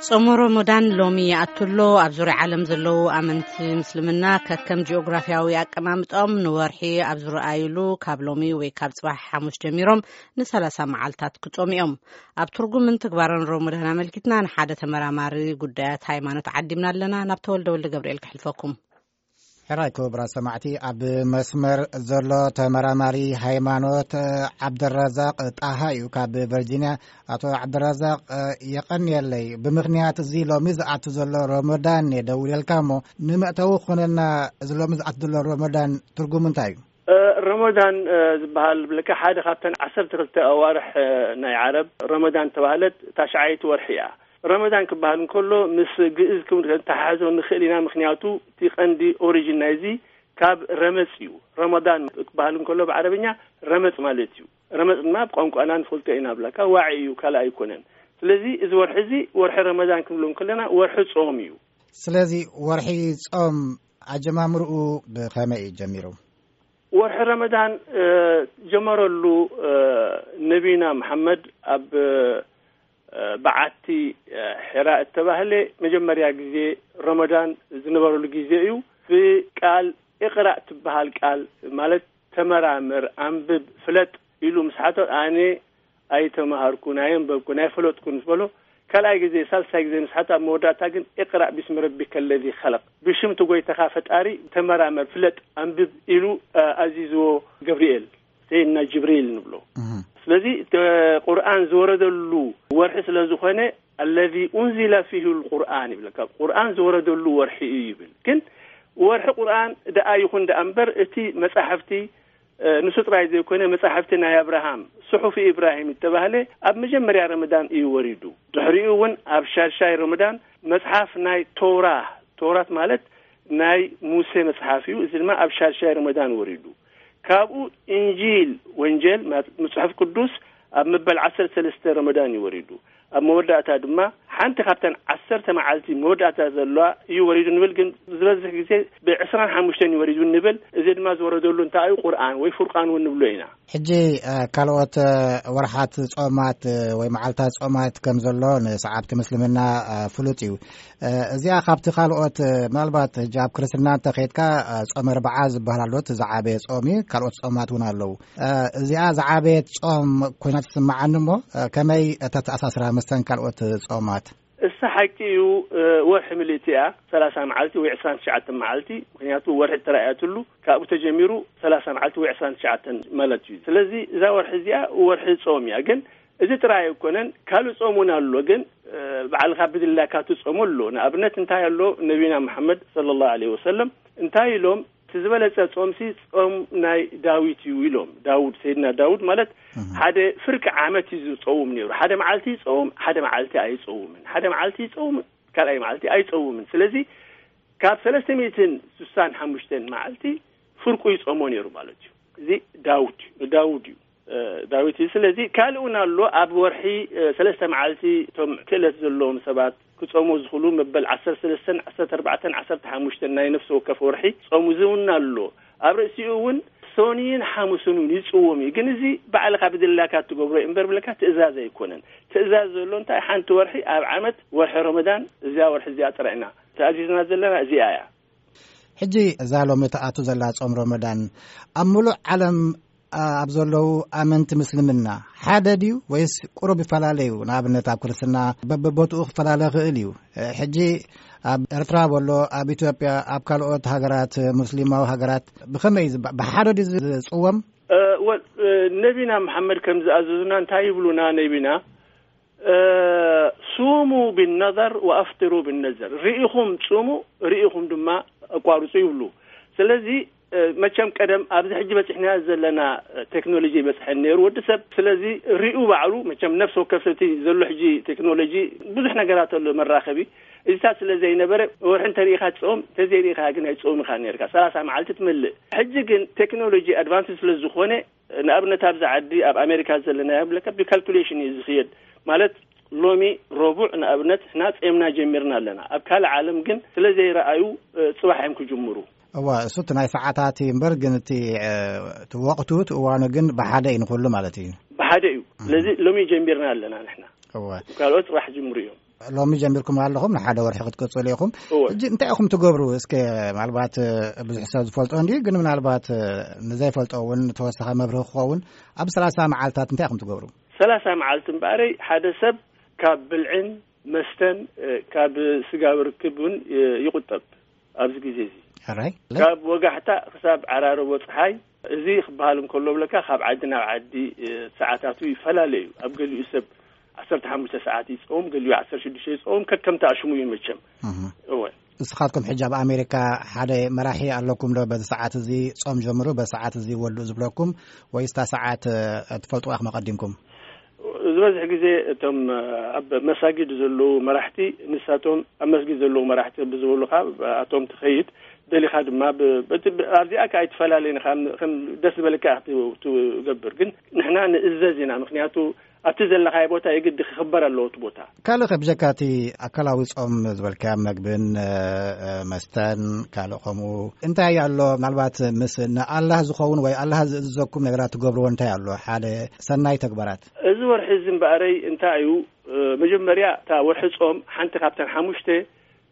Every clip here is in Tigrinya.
ጾመ ሮሞዳን ሎሚ ይኣቱ ኣሎ። ኣብ ዙርያ ዓለም ዘለዉ ኣመንቲ ምስልምና ከከም ጂኦግራፊያዊ ኣቀማምጦም ንወርሒ ኣብ ዝረኣዩሉ ካብ ሎሚ ወይ ካብ ጽባሕ ሓሙስ ጀሚሮም ን30 መዓልታት ክጾሙ እዮም። ኣብ ትርጉምን ትግባረን ሮሞዳን ኣመልኪትና ንሓደ ተመራማሪ ጉዳያት ሃይማኖት ዓዲምና ኣለና። ናብ ተወልደ ወልደ ገብርኤል ክሕልፈኩም። ሕራይ ክቡራት ሰማዕቲ፣ ኣብ መስመር ዘሎ ተመራማሪ ሃይማኖት ዓብደረዛቅ ጣሃ እዩ ካብ ቨርጂኒያ። ኣቶ ዓብደረዛቅ፣ የቐንየለይ። ብምኽንያት እዚ ሎሚ ዝኣቱ ዘሎ ሮሞዳን እየ ደውለልካ እሞ፣ ንመእተዊ ክኾነና፣ እዚ ሎሚ ዝኣቱ ዘሎ ሮሞዳን ትርጉሙ እንታይ እዩ? እ፣ ረመዳን፣ እ፣ ዝበሃል ብለካ ሓደ ካብተን ዓሰርተ ክልተ ኣዋርሕ፣ እ፣ ናይ ዓረብ ረመዳን ተባህለት ታሽዓይቲ ወርሒ እያ። ረመዳን ክበሃል እንከሎ ምስ ግእዝ ክም-፣ ክንተሓሕዞ ንኽእል ኢና። ምኽንያቱ እቲ ቀንዲ ኦሪጂን ናይዚ ካብ ረመጽ እዩ። ረመዳን ክበሃል እንከሎ ብዓረብኛ ረመጽ ማለት እዩ። ረመጽ ድማ ብቋንቋና ንፈልጦ ኢና ብለካ ዋዒ እዩ፣ ካልእ ኣይኮነን። ስለዚ እዚ ወርሒ እዚ ወርሒ ረመዳን ክንብሎ እንከለና ወርሒ ጾም እዩ። ስለዚ ወርሒ ጾም ኣጀማምርኡ ብኸመይ እዩ ጀሚሩ? ወርሒ ረመዳን፣ እ፣ ጀመረሉ፣ እ፣ ነቢና መሓመድ ኣብ፣ እ፣ በዓቲ፣ እ፣ ሒራ እተባህለ መጀመርያ ግዜ ረመዳን ዝነበረሉ ግዜ እዩ። ብቃል እቕራእ ትበሃል ቃል ማለት ተመራመር፣ ኣንብብ፣ ፍለጥ ኢሉ ምስ ሓቶ ኣነ ኣይተማሃርኩን፣ ኣየንበብኩን፣ ኣይፈለጥኩን ዝበሎ ካልኣይ ግዜ፣ ሳልሳይ ግዜ ምስ ሓቶ ኣብ መወዳእታ ግን እቅራእ ቢስሚ ረቢከ ለዚ ኸለቅ፣ ብሽም እቲ ጎይታኻ ፈጣሪ ተመራመር፣ ፍለጥ፣ ኣንብብ ኢሉ፣ እ፣ ኣዚዝዎ ገብርኤል፣ ሰይድና ጅብሪል ንብሎ። እህ። ስለዚ፣ ተ-፣ ቁርኣን ዝወረደሉ ወርሒ ስለ ዝኾነ፣ ኣለዚ ኡንዚለ ፊሁ ልቁርኣን ይብለካ። ቁርኣን ዝወረደሉ ወርሒ እዩ ይብል። ግን ወርሒ ቁርኣን ደኣ ይኹን ደኣ እምበር፣ እቲ መጻሕፍቲ፣ እ፣ ንሱ ጥራይ ዘይኮነ፣ መጻሕፍቲ ናይ ኣብርሃም፣ ስሑፊ ኢብራሂም እተባህለ፣ ኣብ መጀመርያ ረመዳን እዩ ወሪዱ። ድሕሪኡ እውን ኣብ ሻድሻይ ረመዳን መጽሓፍ ናይ ቶራ፣ ቶራት ማለት ናይ ሙሴ መጽሓፍ እዩ። እዚ ድማ ኣብ ሻድሻይ ረመዳን ወሪዱ። ካብኡ ኢንጂል፣ ወንጀል፣ ማለት መጽሓፍ ቅዱስ፣ ኣብ መበል ዓሰርተ ሰለስተ ረመዳን እዩ ወሪዱ። ኣብ መወዳእታ ድማ ሓንቲ ካብተን ዓሰርተ መዓልቲ መወዳእታ ዘለዋ እዩ ወሪዱ ንብል፣ ግን ዝበዝሕ ግዜ ብዕስራን ሓሙሽተን እዩ ወሪዱ ንብል። እዚ ድማ ዝወረደሉ እንታይ እዩ? ቁርኣን ወይ ፉርቃን እውን ንብሎ ኢና። ሕጂ፣ እ፣ ካልኦት፣ እ፣ ወርሓት ጾማት፣ እ፣ ወይ መዓልታት ጾማት ከም ዘሎ ንሰዓብቲ ምስልምና፣ እ፣ ፍሉጥ እዩ። እ፣ እዚኣ ካብቲ ካልኦት፣ እ፣ ምናልባት ሕጂ ኣብ ክርስትና እንተኸይድካ፣ እ፣ ጾመ ኣርብዓ ዝበሃል ኣሎ፣ እቲ ዝዓበየ ጾም እዩ። ካልኦት ጾማት እውን ኣለዉ። እ፣ እዚኣ ዝዓበየት ጾም ኮይና ትስምዓኒ እሞ፣ እ፣ ከመይ እተተኣሳስራ ምስተን ካልኦት ጾማት? እሳ ሓቂ እዩ፣ እ፣ ወርሒ ምልእቲ እያ፣ ሰላሳ መዓልቲ ወይ ዕስራን ትሽዓተን መዓልቲ፣ ምኽንያቱ ወርሒ ተራእያትሉ ካብኡ ተጀሚሩ ሰላሳ መዓልቲ ወይ ዕስራን ትሽዓተን ማለት እዩ። ስለዚ እዛ ወርሒ እዚኣ ወርሒ ጾም እያ። ግን እዚ ጥራይ ኣይኮነን፣ ካልእ ጾም እውን ኣሎ። ግን፣ እ፣ ባዕልኻ ብድላካ ትጾሞ ኣሎ። ንኣብነት እንታይ ኣሎ? ነቢና መሓመድ ሰለላሁ ዐለይሂ ወሰለም እንታይ ኢሎም? እቲ ዝበለጸ ጾምሲ ጾም ናይ ዳዊት እዩ ኢሎም። ዳውድ፣ ሰይድና ዳውድ ማለት እህ። ሓደ ፍርቂ ዓመት እዩ ዝጸውም ነይሩ። ሓደ መዓልቲ ይጸውም፣ ሓደ መዓልቲ ኣይጸውምን። ሓደ መዓልቲ ይጸውም፣ ካልኣይ መዓልቲ ኣይጸውምን። ስለዚ ካብ ሰለስተ ሚእትን ስሳን ሓሙሽተን መዓልቲ ፍርቁ ይጸሞ ነይሩ ማለት እዩ። እዚ ዳውድ እዩ፣ ንዳውድ እዩ፣ እ፣ ዳዊት እዩ። ስለዚ ካልእ እውን ኣሎ። ኣብ ወርሒ፣ እ፣ ሰለስተ መዓልቲ እቶም ክእለት ዘለዎም ሰባት ክጸሙ ዝኽእሉ መበል ዓሰርተ ሰለስተን ዓሰርተ ኣርባዕተን ዓሰርተ ሓሙሽተን ናይ ነፍሲ ወከፍ ወርሒ ጾም እዚ እውን ኣሎ። ኣብ ርእሲኡ እውን ሶንይን ሓሙስን እውን ይጽወም እዩ። ግን እዚ ባዕልኻ ብድላካ እትገብሮ እዩ እምበር ብለካ ትእዛዝ ኣይኮነን። ትእዛዝ ዘሎ እንታይ? ሓንቲ ወርሒ ኣብ ዓመት ወርሒ ረመዳን እዚኣ ወርሒ እዚኣ ጥራይ ኢና ተኣዚዝና ዘለና፣ እዚኣ እያ። ሕጂ እዛ ሎሚ ትኣቱ ዘላ ጾም ረመዳን ኣብ ምሉእ ዓለም፣ ኣ-፣ ኣብ ዘለዉ ኣመንቲ ምስልምና ሓደ ድዩ ወይስ ቁሩብ ይፈላለዩ? ንኣብነት ኣብ ክርስትና በብቦትኡ ክፈላለ ይኽእል እዩ። እ፣ ሕጂ ኣብ ኤርትራ በሎ፣ ኣብ ኢትዮጵያ፣ ኣብ ካልኦት ሃገራት፣ ሙስሊማዊ ሃገራት ብኸመይ እዩ ዝባ-፣ ብሓደ ድዩ ዝጽወም? እ፣ ወ-፣ እ፣ ነቢና መሓመድ ከም ዝኣዘዙና እንታይ ይብሉና ነቢና? እ፣ ሱሙ ብነዘር ወኣፍጥሩ ብነዘር፣ ርኢኹም ጽሙ፣ ርኢኹም ድማ ኣቋርጹ ይብሉ። ስለዚ፣ እ፣ መቸም ቀደም ኣብዚ ሕጂ በጺሕናዮ ዘለና፣ እ፣ ቴክኖሎጂ ይበጽሐን ነይሩ ወዲ ሰብ። ስለዚ ርኡ ባዕሉ፣ መቸም ነፍሲ ወከፍ ሰብቲ ዘሎ ሕጂ ቴክኖሎጂ ብዙሕ ነገራት ኣሎ መራኸቢ። እዚታት ስለ ዘይነበረ ወርሒ እንተሪኢኻ ትጸውም፣ እንተዘይሪኢኻ ግን ኣይትጸውም ኢኻ ነርካ። ሰላሳ መዓልቲ ትመልእ። ሕጂ ግን ቴክኖሎጂ ኣድቫንስ ስለ ዝኾነ፣ ንኣብነት ኣብዚ ዓዲ ኣብ ኣሜሪካ ዘለና ብለካ ብካልኩሌሽን እዩ ዝኽየድ። ማለት ሎሚ ረቡዕ ንኣብነት ንሕና ጼምና ጀሚርና ኣለና። ኣብ ካልእ ዓለም ግን ስለ ዘይረኣዩ፣ እ፣ ጽባሕ እዮም ክጅምሩ። እዋ፣ እሱ እቲ ናይ ሰዓታት እዩ እምበር፣ ግን እቲ፣ እ፣ እቲ ወቕቱ፣ እቲ እዋኑ ግን ብሓደ እዩ ንኹሉ ማለት እዩ። ብሓደ እዩ። እም። ስለዚ ሎሚ ጀሚርና ኣለና ንሕና። እዋ። ካልኦት ጽባሕ ጅምሩ እዮም። ሎሚ ጀሚርኩም ኣለኹም፣ ንሓደ ወርሒ ክትቅጽሉ ኢኹም። እወ። ሕጂ እንታይ ኢኹም ትገብሩ? እስከ ምናልባት፣ እ፣ ብዙሕ ሰብ ዝፈልጦ እንድዩ፣ ግን ምናልባት፣ እ፣ ንዘይፈልጦ እውን ተወሳኺ መብርሂ ክኸውን፣ ኣብ ሰላሳ መዓልታት እንታይ ኢኹም ትገብሩ? ሰላሳ መዓልቲ እምበኣረይ ሓደ ሰብ ካብ ብልዕን መስተን፣ እ፣ ካብ ስጋዊ ርክብ እውን፣ እ፣ ይቑጠብ ኣብዚ ግዜ እዚ። ሕራይ። ካብ ወጋሕታ ክሳብ ዓራርቦ ጸሓይ፣ እዚ ክበሃል እንከሎ ብለካ ካብ ዓዲ ናብ ዓዲ፣ እ፣ ሰዓታቱ ይፈላለ እዩ። ኣብ ገሊኡ ሰብ ዓሰርተ ሓሙሽተ ሰዓት ይጸውም፣ ገሊኡ ዓሰርተ ሽዱሽተ ይጸውም፣ ከከምታ ሽሙ እዩ መቸም። እህ። እወ። ንስኻትኩም ሕጂ ኣብ ኣሜሪካ ሓደ መራሒ ኣለኩም ዶ? በዚ ሰዓት እዚ ጾም ጀምሩ፣ በዚ ሰዓት እዚ ወልኡ ዝብለኩም፣ ወይስ እታ ሰዓት፣ እ፣ ትፈልጥዋ ኢኹም ኣቐዲምኩም? ዝበዝሕ ግዜ እቶም፣ እ፣ ኣብ መሳጊድ ዘለዉ መራሕቲ፣ ንሳቶም ኣብ መስጊድ ዘለዉ መራሕቲ ብዝበሉኻ፣ ኣቶም ትኸይድ፣ ደሊኻ ድማ ብ-፣ በቲ-፣ ብ-፣ ኣብዚኣ ከኣ ኣይትፈላለየን ኢኻ፣ ከም፣ ከም ደስ ዝበለካ ኢኻ ት-፣ ትገብር። ግን ንሕና ንእዘዝ ኢና፣ ምኽንያቱ ኣብቲ ዘለኻዮ ቦታ የግዲ ክኽበር ኣለዎ እቲ ቦታ። ካልእ ከ ብጀካ እቲ ኣካላዊ ጾም ዝበልካዮ መግብን፣ እ፣ እ፣ መስተን ካልእ ከምኡ እንታይ ኣሎ? ምናልባት ምስ ንኣላህ ዝኸውን ወይ ኣላህ ዝእዝዘኩም ነገራት ትገብርዎ እንታይ ኣሎ? ሓደ ሰናይ ተግባራት። እዚ ወርሒ እዚ እምበኣረይ እንታይ እዩ? እ፣ መጀመርያ እታ ወርሒ ጾም ሓንቲ ካብተን ሓሙሽተ፣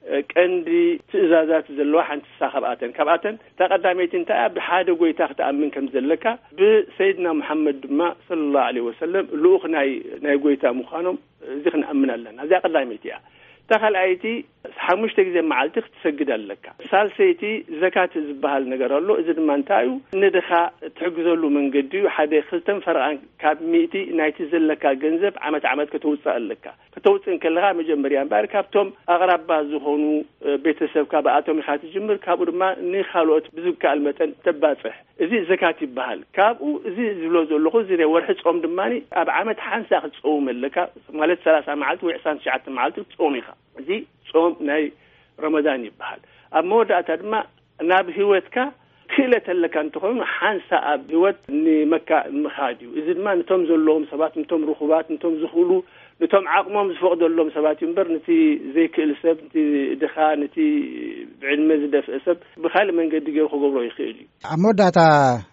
እ፣ ቀንዲ ትእዛዛት ዘለዋ ሓንቲ ንሳ ካብኣተን። ካብኣተን እታ ቀዳመይቲ እንታይ እያ? ብሓደ ጎይታ ክትኣምን ከም ዘለካ፣ ብሰይድና ሙሓመድ ድማ ሰለላሁ ዐለይሂ ወሰለም ልኡኽ ናይ፣ ናይ ጎይታ ምዃኖም፣ እዚ ክንኣምን ኣለና። እዚኣ ቀዳመይቲ እያ። እታ ካልኣይቲ፣ ሓሙሽተ ግዜ መዓልቲ ክትሰግድ ኣለካ። ሳልሰይቲ፣ ዘካት ዝበሃል ነገር ኣሎ። እዚ ድማ እንታይ እዩ? ንድኻ ትሕግዘሉ መንገዲ እዩ። ሓደ ክልተን ፈረቓን ካብ ሚእቲ ናይቲ ዘለካ ገንዘብ ዓመት ዓመት ከተውፅእ ኣለካ። ከተውፅእ እንከለኻ መጀመርያ እምበኣር ካብቶም ኣቕራባ ዝኾኑ፣ እ፣ ቤተሰብካ ብኣቶም ኢኻ ትጅምር። ካብኡ ድማ ንኻልኦት ብዝከኣል መጠን ተባፅሕ። እዚ ዘካት ይበሃል። ካብኡ እዚ ዝብሎ ዘለኹ፣ እዚ ናይ ወርሒ ጾም ድማ ኣብ ዓመት ሓንሳ ክትጸውም ኣለካ፣ ማለት ሰላሳ መዓልቲ ወይ ዕስራን ትሽዓተ መዓልቲ ክትጾም ኢኻ። እዚ ጾም ናይ ረመዳን ይበሃል። ኣብ መወዳእታ ድማ ናብ ህይወትካ ክእለት ኣለካ እንተኾይኑ፣ ሓንሳ ኣብ ህይወት ንመካ ምኻድ እዩ። እዚ ድማ ነቶም ዘለዎም ሰባት፣ ነቶም ርኹባት፣ ነቶም ዝኽእሉ፣ ነቶም ዓቕሞም ዝፈቕደሎም ሰባት እዩ እምበር፣ ነቲ ዘይክእል ሰብ፣ ነቲ ድኻ፣ ነቲ ብዕድመ ዝደፍአ ሰብ ብኻልእ መንገዲ ገይሩ ክገብሮ ይኽእል እዩ። ኣብ መወዳእታ፣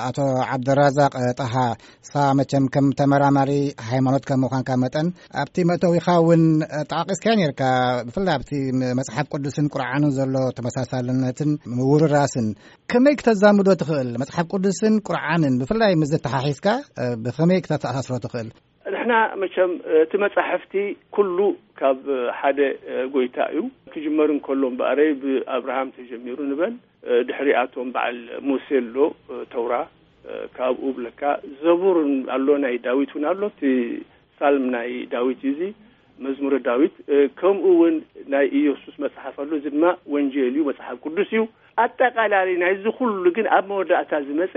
ኣቶ ዓብደራዛቅ ጣሃ፣ ንስኻ መቸም ከም ተመራማሪ ሃይማኖት ከም ምዃንካ መጠን፣ ኣብቲ መእተዊኻ እውን ጠቓቒስካዮ ነርካ፣ ብፍላይ ኣብቲ መጽሓፍ ቅዱስን ቁርዓንን ዘሎ ተመሳሳልነትን ምውርራስን፣ ከመይ ክተዛምዶ ትኽእል? መጽሓፍ ቅዱስን ቁርዓንን ብፍላይ ምስ ዘተሓሒዝካ፣ እ፣ ብኸመይ ክተተኣሳስሮ ትኽእል? ንሕና መቸም፣ እ፣ እቲ መጻሕፍቲ ኩሉ ካብ ሓደ፣ እ፣ ጎይታ እዩ። ክጅመር እንከሎ እምበኣረይ ብኣብርሃም ተጀሚሩ ንበል፣ እ፣ ድሕሪኣቶም በዓል ሙሴ ኣሎ፣ እ፣ ተውራ፣ እ፣ ካብኡ ብለካ ዘቡር ኣሎ፣ ናይ ዳዊት እውን ኣሎ። እቲ ሳልም ናይ ዳዊት እዩ፣ እዚ መዝሙረ ዳዊት። እ፣ ከምኡ እውን ናይ ኢየሱስ መጽሓፍ ኣሎ፣ እዚ ድማ ወንጌል እዩ፣ መጽሓፍ ቅዱስ እዩ። ኣጠቓላሊ ናይዚ ኩሉ ግን ኣብ መወዳእታ ዝመጸ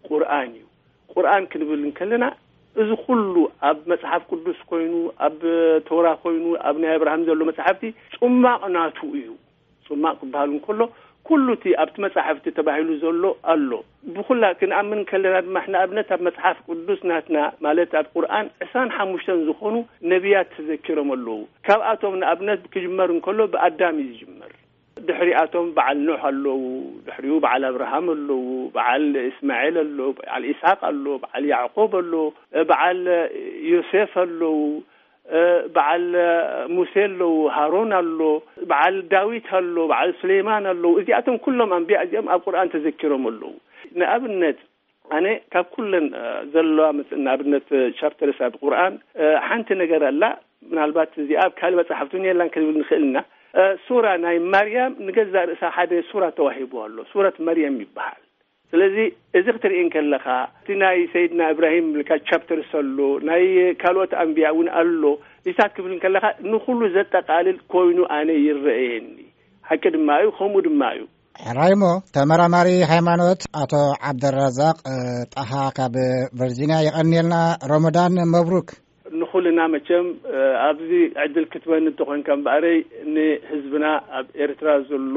ቁርኣን እዩ። ቁርኣን ክንብል እንከለና፣ እዚ ኩሉ ኣብ መጽሓፍ ቅዱስ ኮይኑ፣ ኣብ ተውራ ኮይኑ፣ ኣብ ናይ ኣብርሃም ዘሎ መጽሓፍቲ ጽማቕ ናቱ እዩ። ጽማቕ ክበሃል እንከሎ፣ ኩሉ እቲ ኣብቲ መጽሓፍቲ ተባሂሉ ዘሎ ኣሎ። ብኹላ ክንኣምን ከለና ድማ፣ ንኣብነት ኣብ መጽሓፍ ቅዱስ ናትና፣ ማለት ኣብ ቁርኣን ዕስራን ሓሙሽተን ዝኾኑ ነቢያት ተዘኪሮም ኣለዉ። ካብኣቶም ንኣብነት ክጅመር እንከሎ ብኣዳም እዩ ዝጅመር። ድሕሪኣቶም በዓል ኖህ ኣለዉ፣ ድሕሪኡ በዓል ኣብርሃም ኣለዉ፣ በዓል እስማኤል ኣሎ፣ በዓል ኢስሓቅ ኣሎ፣ በዓል ያዕቆብ ኣሎ፣ በዓል ዮሴፍ ኣለዉ፣ በዓል ሙሴ ኣለዉ፣ ሃሮን ኣሎ፣ በዓል ዳዊት ኣሎ፣ በዓል ሱሌይማን ኣለዉ። እዚኣቶም ኩሎም ኣንቢያ እዚኦም ኣብ ቁርኣን ተዘኪሮም ኣለዉ። ንኣብነት ኣነ ካብ ኩለን፣ እ፣ ዘለዋ መጽ-፣ ንኣብነት፣ እ፣ ቻፕተርስ ኣብ ቁርኣን፣ እ፣ ሓንቲ ነገር ኣላ። ምናልባት እዚኣ ኣብ ካልእ መጽሓፍቲ እውን የላን ክንብል ንኽእል ኢና። እ፣ ሱራ ናይ ማርያም ንገዛእ ርእሳ ሓደ ሱራ ተዋሂቡ ኣሎ። ሱረት መርየም ይበሃል። ስለዚ እዚ ክትርኢ እንከለኻ፣ እቲ ናይ ሰይድና እብራሂም ኢልካ ቻፕተርስ ኣሎ፣ ናይ ካልኦት ኣንቢያ እውን ኣሎ። እዚታት ክብል እንከለኻ ንኹሉ ዘጠቓልል ኮይኑ ኣነ ይረኣየኒ። ሓቂ ድማ እዩ፣ ከምኡ ድማ እዩ። ሕራይ እሞ፣ ተመራማሪ ሃይማኖት ኣቶ ዓብደራዛቅ፣ እ፣ ጣሃ ካብ ቨርጂንያ፣ የቐንየልና። ሮመዳን መብሩክ። ንኹልና መቸም፣ እ፣ ኣብዚ ዕድል ክትበኒ እንተኾንካ እምበኣረይ፣ ንህዝብና ኣብ ኤርትራ ዘሎ፣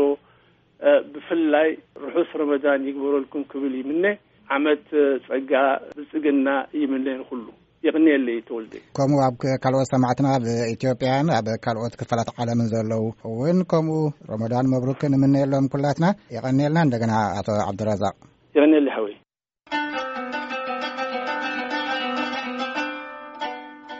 እ፣ ብፍላይ ርሑስ ሮመዳን ይግበረልኩም ክብል ይምነ። ዓመት፣ እ፣ ጸጋ ብልጽግና ይምነ ንኹሉ። የቕንየለይ ተወልደ። ከምኡ ኣብ ክ-፣ ካልኦት ሰማዕትና ኣብ ኢትዮጵያን ኣብ ካልኦት ክፋላት ዓለምን ዘለዉ እውን ከምኡ ረመዳን መብሩክ ንምነየሎም ኩላትና። የቐንየልና እንደገና ኣቶ ዓብዱራዛቅ። የቐንየለይ።